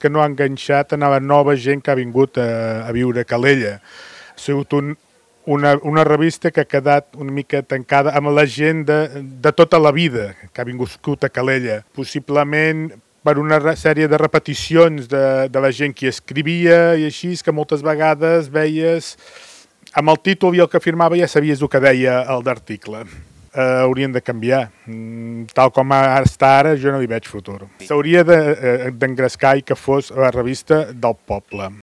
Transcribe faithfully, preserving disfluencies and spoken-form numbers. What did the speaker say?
que no ha enganxat a la nova gent que ha vingut a, a viure a Calella. Ha sigut un, una, una revista que ha quedat una mica tancada amb la gent de, de tota la vida que ha vingut a Calella. Possiblement per una sèrie de repeticions de, de la gent que escrivia i així, que moltes vegades veies amb el títol i el que firmava ja sabies el que deia el d'article. Uh, haurien de canviar. Mm, tal com està ara, jo no hi veig futur. S'hauria d'engrescar de, uh, i que fos la revista del poble.